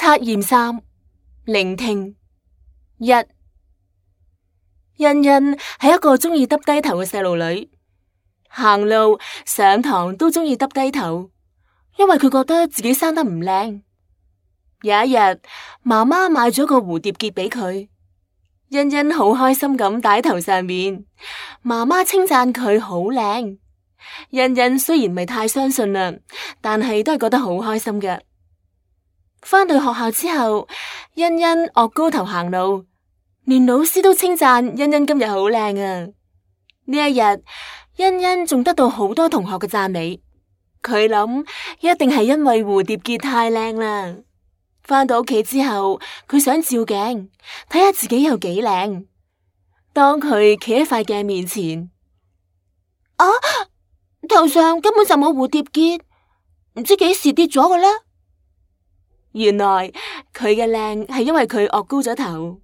測驗3，聆聽1。欣欣係一個鍾意耷低頭嘅細路女，行路、上堂都鍾意耷低頭，因為佢覺得自己生得唔靚。有一日，媽媽買咗個蝴蝶結俾佢，欣欣好開心咁戴喺頭上面。媽媽稱讚佢好靚，欣欣雖然唔係太相信啦，但係都係覺得好開心嘅。返到學校之後，欣欣岳高頭行路，連老師都稱讚欣欣今日好靚啊！呢一日，欣欣仲得到好多同學嘅讚美。佢諗一定係因為蝴蝶結太靚啦。返到屋企之後，佢想照鏡睇下自己有幾靚。當佢企喺塊鏡面前，頭上根本就冇蝴蝶結，唔知幾時跌咗嘅啦。原來佢嘅靚係因為佢岳高咗頭。